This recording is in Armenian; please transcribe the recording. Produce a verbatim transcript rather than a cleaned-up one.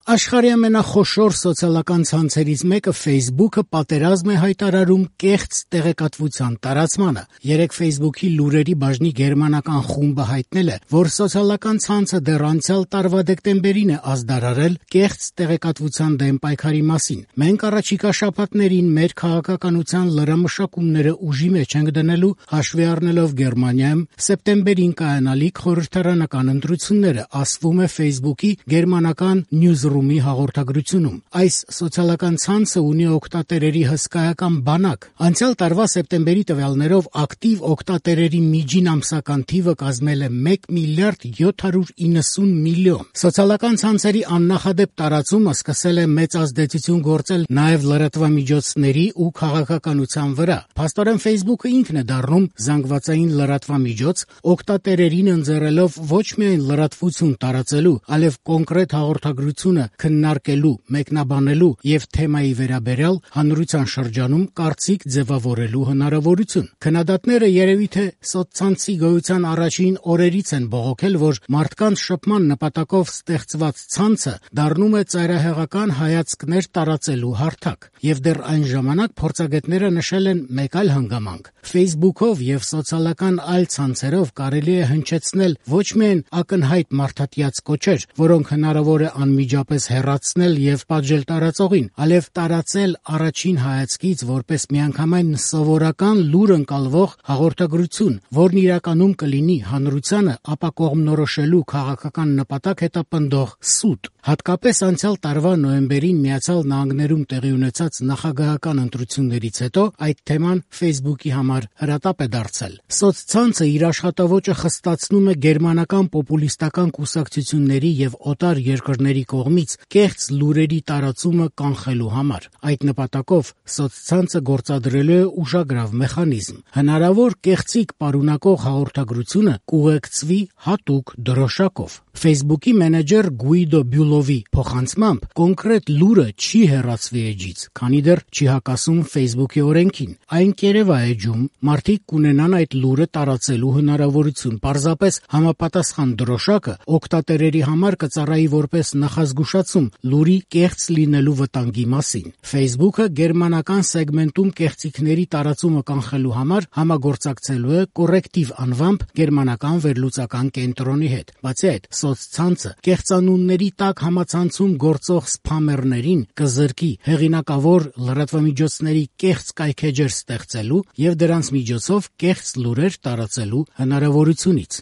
Աշխարհի ամենախոշոր սոցիալական ցանցերից մեկը Facebook-ը պատերազմ է հայտարարում կեղծ տեղեկատվության տարածմանը։ Երեկ Facebook-ի լուրերի բաժնի գերմանական խումբը հայտնել է, որ սոցիալական ցանցը դեռ անցյալ տարվա դեկտեմբերին է ազդարարել կեղծ տեղեկատվության դեմ պայքարի մասին։ Մենք առաջիկա շաբաթներին մեր քաղաքականության լրամշակումները ուժի մեջ ենք դնելու, հաշվի առնելով Գերմանիայում սեպտեմբերին կայանալիք խորհրդարանական ընտրությունները, ասվում է Facebook-ի գերմանական Newsroom հաղորդագրությունում։ Այս սոցիալական ցանցը ունի օգտատերերի հսկայական բանակ։ Անցյալ տարվա սեպտեմբերի տվյալներով ակտիվ օգտատերերի միջին ամսական թիվը կազմել է մեկ միլիարդ յոթ հարյուր իննսուն միլիոն։ Սոցիալական ցանցերի աննախադեպ տարածումը սկսել է մեծ ազդեցություն գործել նաև լրատվամիջոցների ու քաղաքականության վրա։ Փաստորեն Facebook-ը ինքն է դառնում զանգվածային լրատվամիջոց, օգտատերերին ընձեռելով ոչ միայն լրատվություն տարածելու, այլև կոնկրետ հաղորդագրությունը քննարկելու, մեկնաբանելու եւ թեմայի վերաբերյալ հանրության շրջանում կարծիք ձևավորելու հնարավորություն։ Քննադատները երևի թե սոցցանցի գոյության առաջին օրերից են բողոքել, որ մարդկանց շփման նպատակով ստեղծված ցանցը դառնում է ծայրահեղական հայացքներ տարածելու հարթակ։ Եվ դեռ այն ժամանակ փորձագետները նշել են մեկ այլ հանգամանք։ Facebook-ով եւ սոցիալական այլ ցանցերով կարելի է հնչեցնել ոչ միայն ակնհայտ մարդատյաց կոչեր, որոնք հնարավոր է անմիջապես հեռացնել եւ պատժել տարածողին, այլև տարածել առաջին հայացքից որպես միանգամայն սովորական լուր ընկալվող հաղորդագրություն, որն իրականում կլինի հանրությանը ապակողմնորոշելու քաղաքական նպատակ հետապնդող սուտ։ Հատկապես անցյալ տարվա նոյեմբերին Միացյալ Նահանգներում տեղի ունեցած նախագահական ընտրություններից հետո այդ թեման Facebook-ի համար հրատապ է դարձել։ Սոցցանցը իր աշխատավոճը խստացնում է գերմանական պոպուլիստական կուսակցությունների եւ օտար երկրների կողմից կեղծ լուրերի տարածումը կանխելու համար։ Այդ նպատակով սոցցանցը գործադրելու է ուժագրավ մեխանիզմ։ Հնարավոր կեղծիք պարունակող հաղորդագրությունը կուղեկցվի հատուկ դրոշակով։ Facebook-ի մենեջեր Գուիդո Բյուլովի փոխանցմամբ կոնկրետ լուրը չի հեռացվի էջից, քանի դեռ չի հակասում Facebook-ի օրենքին։ Այն կերևա էջում մարդիկ կունենան այդ լուրը տարածելու հնարավորություն։ Պարզապես համապատասխան դրոշակը օգտատերերի համար կծառայի որպես նախազգուշացում լուրի կեղծ լինելու վտանգի մասին։ Facebook-ը գերմանական սեգմենտում կեղծիքների տարածումը կանխելու համար համագործակցելու է Correctiv անվամբ գերմանական վերլուծական կենտրոնի հետ։ Բացի այդ, սոցցանցը կեղծանունների տակ համացանցում գործող սփամերներին կզրկի հեղինակավոր լրատվամիջոցների կեղծ կայքէջեր ստեղծելու եւ դրանց միջոցով կեղծ լուրեր տարածելու հնարավորությունից։